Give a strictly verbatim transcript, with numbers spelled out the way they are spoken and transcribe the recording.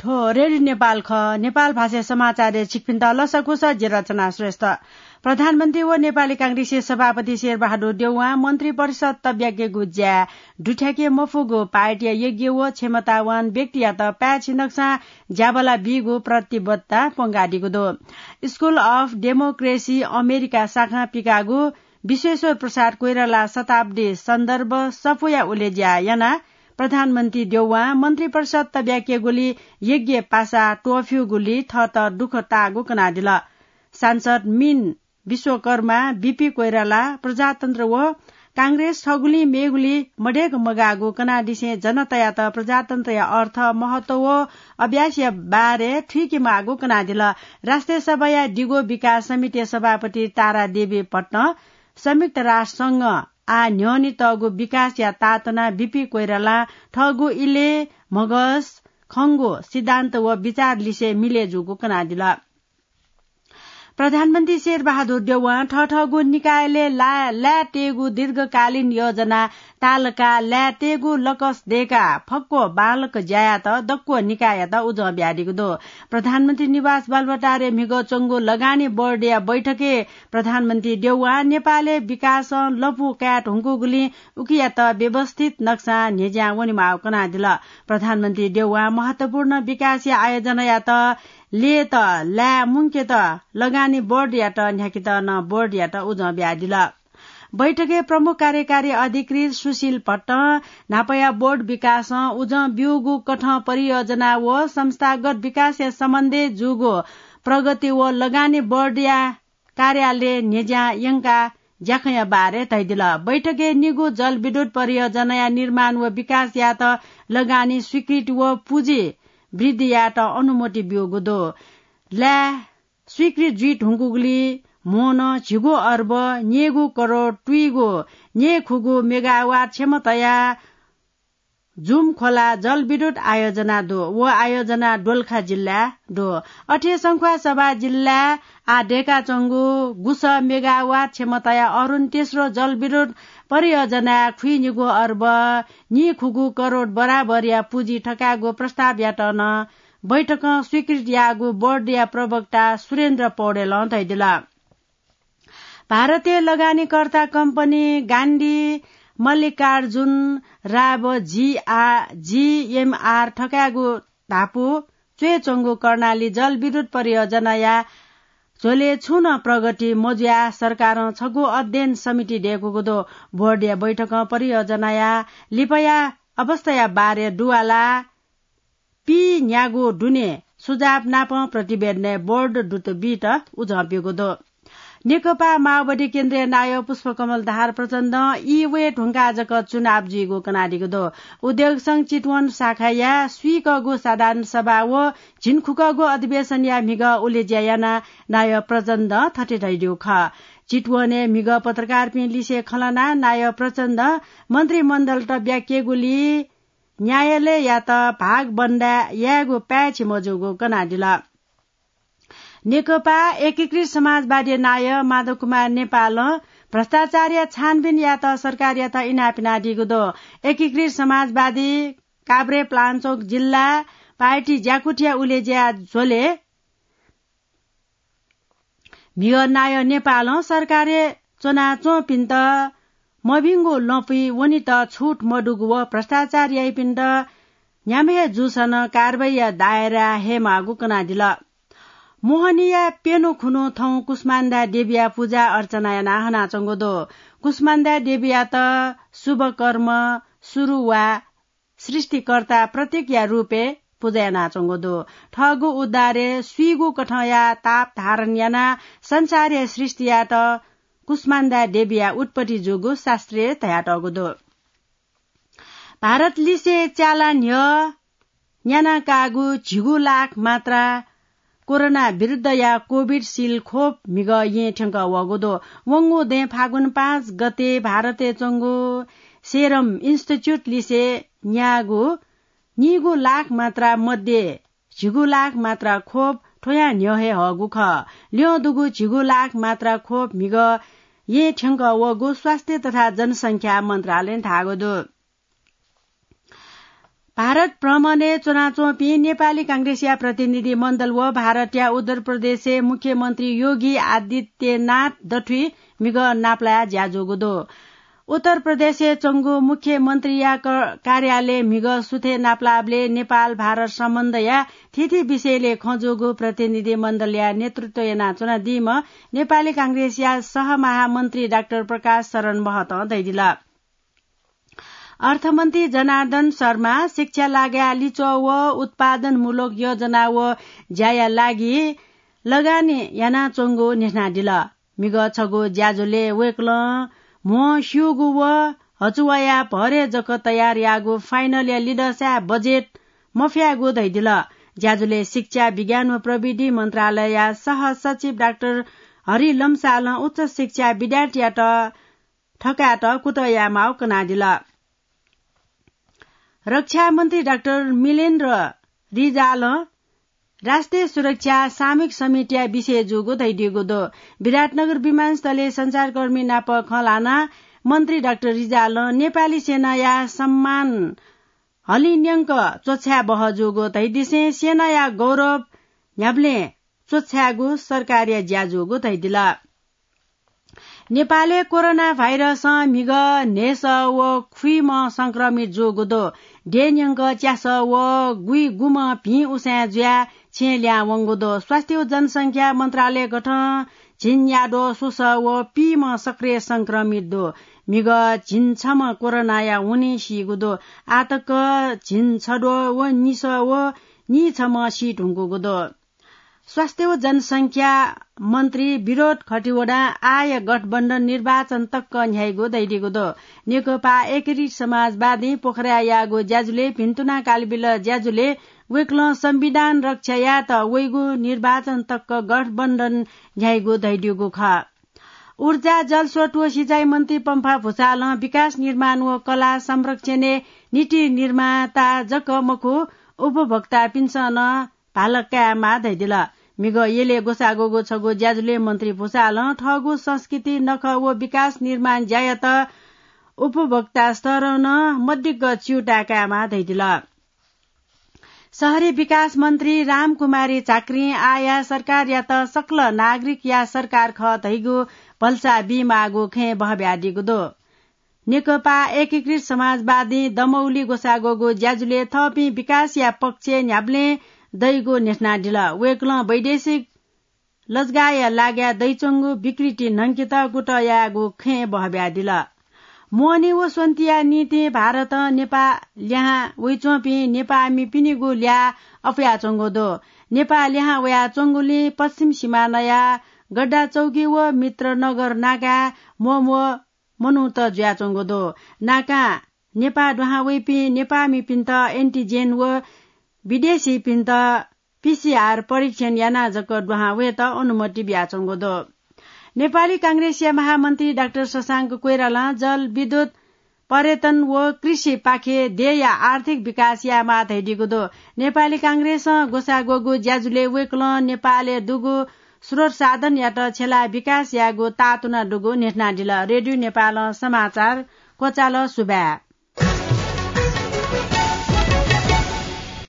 थ्व रेडियो नेपाल खः। नेपाल भाषाया समाचारय् छिकपिन्त लसकुस, जि रचना श्रेष्ठ। प्रधानमन्त्री व नेपाली कांग्रेसया सभापति शेरबहादुर देउवां मन्त्री परिषद तब्याकेगु ज्याय् दुथ्याके मफुगु पार्टीया योग्य व क्षमतावान व्यक्तियात पाय्छि नकसां ज्याबला बीगु प्रतिबद्धता प्वंकादीगु दु। School of Democracy अमेरिका शाखां पिकाःगु विश्वेश्वर प्रसाद कोइराला शताब्दी सन्दर्भ सफूया उलेज्या यानाः प्रधानमन्त्री देउवां मन्त्री परिषद तब्याकेगुली योग्य पासा त्वःफ्यूगुली थःत दुःख ताःगु कनादिल। सांसद मिन विश्वकर्मा, बीपी कोइराला प्रजातन्त्र व कांग्रेस थगुलिं मेगुली मदय्क मगाःगु कनादिसें जनतायात प्रजातन्त्रया अर्थ, महत्व व अभ्यासया बारे थुइके माःगु कनादिल। राष्ट्रिय सभाया दिगो विकास समितिया सभापति तारा देवी भट्टं संयुक्त राष्ट्र संघं आः न्ह्यःने तःगु विकासया ताःतना बीपी कोइरालां थःगु इलय् म्हगस खंगु सिद्धान्त व विचार लिसे मिले जूगु कनादिल। प्रधानमन्त्री शेरबहादुर देउवां थःथःगु निकायलय् ला-, लाय् तयेगु दीर्घकालीन योजना तालका लाय् तयेगु लकस दय्काः फक्व बांलाक ज्यायात दक्व निकाययात उजं बियादीगु दु। प्रधानमन्त्री निवास बालुवाटारय् म्हिगः च्वंगु लगानी बोर्डया बैठकय् प्रधानमन्त्री देउवां नेपालय् विकासं लँपु काये धुंकूगुलिं उकियात व्यवस्थित नक्सां न्ह्यज्यां वनेमाःगु कनादिल। प्रधानमन्त्री देउवां महत्वपूर्ण विकासया आयोजनायात लय्त लाय् मुंकेत लगानी बोर्डयात न्ह्याकेत नं बोर्डयात उजं बियादिल। बैठकय् प्रमुख कार्यकारी अधिकृत सुशील भट्टं न्हापाया बोर्ड विकासं उजं ब्यूगु कथं परियोजना व संस्थागत विकासया सम्बन्धय् जूगु प्रगति व लगानी बोर्डया कार्यालय न्ह्यज्यां यंकाः ज्याखँया बारे धयादिल। बैठकय् निगू जलविद्युत परियोजनाया निर्माण व विकास यायेत लगानी स्वीकृति व पुँजी वृद्धि यायेत अनुमति ब्यूगु दु। लाय् स्वीकृत जुइ धुंकूगुलिं म्होनं झिगू अर्ब न्यय्गू करोड तुइगु न्यय्खुगू मेगावाट क्षमताया जुम खोला जलविद्युत आयोजना दु। व आयोजना दोलखा जिल्लाय् दु। अथे संख्वासभा जिल्लाय् आः दय्काच्वंगु गुसः मेगावाट क्षमताया अरुण तेस्रो जलविद्युत परियोजनाय् खुइनिगू अर्ब नीखुगू करोड बराबरया पुँजी थकायेगु प्रस्तावयात नं बैठकं स्वीकृति याःगु बोर्डया प्रवक्ता सुरेन्द्र पौडेलं धयादिल। भारतीय लगानीकर्ता कम्पनी गान्धी मल्लिकार्जुन राव जीआ-, जीएमआर थकायेगु धापू च्वय्च्वंगु कर्णाली जलविद्युत परियोजनाया झ्वलय् छुं नं प्रगति मजुयाः सरकारं छगू अध्ययन समिति दय्कूगु दु। बोर्डया बैठकं परियोजनाया लिपाया अवस्थाया बारे दुवाला पी न्यागू दुने सुझाव नापं प्रतिवेदनय् बोर्ड दुत बीत उजं ब्यूगु दु। नेकपा माओवादी केन्द्रीय नायः पुष्पकमल दाहाल प्रचण्डं ई वये धुंकाः जक चुनाव जुइगु कनादीगु दु। उद्योग संघ चितवन शाखाया स्वीकःगु साधारण सभा व झिंखुकःगु अधिवेशनया म्हिगः उलेज्या यानाः नायः प्रचण्डं थथे धयादीगु खः। चितवनय् म्हिगः पत्रकारपिं लिसे खँ ल्हानाः नायः प्रचण्डं मन्त्रीमण्डलत ब्याकेगुली न्यायालययात भागबन्दा यायेगु पाय्छि मजूगु कनादिल। नेकपा एकीकृत समाजवादी नायः माधव कुमार नेपालं भ्रष्टाचारया छानबिन यायेत सरकारयात इनाप यानादीगु दु। एकीकृत समाजवादी काभ्रेपलाञ्चोक जिल्ला पार्टी ज्याकुथिया उलेज्या झ्वलय् म्हिगः नायः नेपालं सरकारय् च्वनाच्वंपिन्त मभिंगु लँपुइ वनेत छुट मदुगु व भ्रष्टाचार याइपिन्त न्ह्याम्ह हे जूसा नं कारवाहीया दायराय् हयेमाःगु कनादिल। मोहनीया प्यन्हु खुन्हु थौं कुष्माण्डा देवीया पुजा अर्चना यानाः हनाच्वंगु दु। कुष्माण्डा देवीयात शुभ कर्म सुरु वा सृष्टिकर्ता प्रतीकया रूपय् पुजा यानाच्वंगु दु। थःगु उद्धारय् स्वीगू कथंया ताप धारण यानाः संसारया सृष्टि यायेत कुष्माण्डा देवीया उत्पत्ति जूगु शास्त्रय् धयातःगु दु। भारतलिसे च्याला न्ह्यः न्यानाकाःगु झिगू लाख मात्रा कोरोना विरुद्धया कोभिसिल्ड खोप म्हिगः येँ थ्यंकः वःगु दु। वंगु दँय् फागुन पाँच गते भारतय् च्वंगु सेरम इन्स्टिच्युटलिसे न्याःगु नीगू लाख मात्रा मध्ये झिगू लाख मात्रा खोप थ्वयां न्ह्यः हे हःगु खः। ल्यं दुगु झिगू लाख मात्रा खोप म्हिगः येँ थ्यंकः वःगु स्वास्थ्य तथा जनसंख्या मन्त्रालयं धाःगु दु। भारत भ्रमणय् च्वनाच्वंपिं नेपाली कांग्रेसया प्रतिनिधि मण्डल व भारतया उत्तर प्रदेशय् मुख्यमन्त्री योगी आदित्यनाथ दथुइ म्हिगः नापलाः ज्या जूगु दु। उत्तर प्रदेशय् च्वंगु मुख्यमन्त्रीया क-, कार्यालय म्हिगः सुथय् नापलाःबलय् नेपाल भारत सम्बन्धया थीथी विषयलय् खँ जूगु प्रतिनिधि मण्डलया नेतृत्व यानाच्वनादीम्ह नेपाली कांग्रेसया सहमहामन्त्री डाक्टर प्रकाश शरण महतं धयादिल। अर्थमन्त्री जनार्दन शर्मा शिक्षा लागाय् लिच्वः व उत्पादनमूलक योजना व ज्याया लागि लगानी यानाच्वंगु न्ह्यथनादिल। म्हिगः छगू ज्याझ्वलय् वय्कलं म्हो स्यूगु व हचुवाया भरय् जक तयार याःगु फाइनलया लिधंसाय् बजेट मफ्याःगु धयादिल। ज्याझ्वलय् शिक्षा, विज्ञान व प्रविधि मन्त्रालयया सहसचिव डाक्टर हरि लम्सालं उच्च शिक्षा विद्यार्थीयात थकायेत कुतः यायेमाःगु कनादिल। रक्षा मन्त्री डाक्टर मिलेन्द्र रिजालं राष्ट्रिय सुरक्षा सामूहिक समितिया विषय जूगु धयादीगु दु। विराटनगर विमानस्थलय् सञ्चारकर्मी नाप खँ ल्हानाः मन्त्री डाक्टर रिजालं नेपाली सेनाया सम्मान हलिंन्यंक च्वछाये बहः जूगु धयादिसें सेनाया गौरव न्ह्याबलें च्वछायेगु सरकारया ज्या जूगु धयादिल। नेपालय् कोरोना भाइरसं म्हिगः न्हय्‌सः व खुइम्ह संक्रमित जूगु दु। देय्‌न्यंक च्यासः व गुइगुम्ह भिं उसाँय् जुयाः छेँय् लिहां वंगु दु। स्वास्थ्य व जनसंख्या मन्त्रालय गथं झिंन्याद्वः स्वसः व पीम्ह सक्रिय संक्रमित दु। म्हिगः झिंछम्ह कोरोनाया हुनिं सीगु दु। आःतक झिंछद्वः व निसः व नीछम्ह सी धुंकूगु दु। स्वास्थ्य व जनसंख्या मन्त्री विनोद खतिवडां आःया गठबन्धन निर्वाचन तक न्ह्याइगु धयादीगु दु। नेकपा एकीकृत समाजवादीं पोखराय् याःगु ज्याझ्वलय् भिन्तुना कालबिल ज्याझ्वलय् वय्कलं संविधान रक्षा यायेत वइगु निर्वाचन तक गठबन्धन न्ह्याइगु धयादीगु खः। ऊर्जा, जलस्रोत व सिँचाइ मन्त्री पम्फा भुसालं विकास निर्माण व कला संरक्षणय् नीति निर्माता जक मखु, उपभोक्तापिन्सं नं भाला कायेमाः धयादिल। म्हिगः यलय् ग्वसाः ग्वःगु छगू ज्याझ्वलय् मन्त्री भुसालं थःगु संस्कृति, नखः व विकास निर्माण ज्यायात उपभोक्ता स्तरं नं मदिक्क च्यूताय् कायेमाः धयादिल। शहरी विकास मन्त्री रामकुमारी झाँक्रीं आःया सरकारयात सकल नागरिकया सरकार खः धइगु भलसा बीमाःगु खँय् बहःबियादीगु दु। नेकपा एकीकृत समाजवादीं दमौली ग्वसाः ग्वःगु ज्याझ्वलय् थःपिं विकासया पक्षय् न्ह्याबलें दइगु न्ह्यथनादिल। वय्कलं वैदेशिक लजगाःया लागाय् दइच्वंगु विकृति न्हंकेत कुतः यायेगु खँय् बहःबियादिल। मोहनी व स्वन्तिया निंतिं भारतं नेपाः लिहां वइच्वंपिं नेपाःमिपिनिगु ल्याः अपुयाच्वंगु दु। नेपाः लिहां वयाच्वंगुलिं पश्चिम सिमानाया गड्डाचौकी व मित्रनगर नाकाय् म्वःम्वः मनूत जुयाच्वंगु दु। नाकां नेपाः दुहां वइपिं नेपाःमिपिन्त एन्टिजेन व विदेशीपिन्त पीसीआर परीक्षण यानाः जक दुहां वयेत अनुमति बियाच्वंगु दु। नेपाली कांग्रेसया महामन्त्री डाक्टर शशांक कोइरालां जल, विद्युत, पर्यटन व कृषिपाखे देय्‌या आर्थिक विकास यायेमाः धयादीगु दु। नेपाली कांग्रेसं ग्वसाः ग्वःगु ज्याझ्वलय् वय्कलं नेपालय् दुगु स्रोत साधनयात छ्यलाः विकास यायेगु ताःतुना दुगु न्ह्यथनादिल। रेडियो नेपालं समाचार क्वचाल। सुभाय्।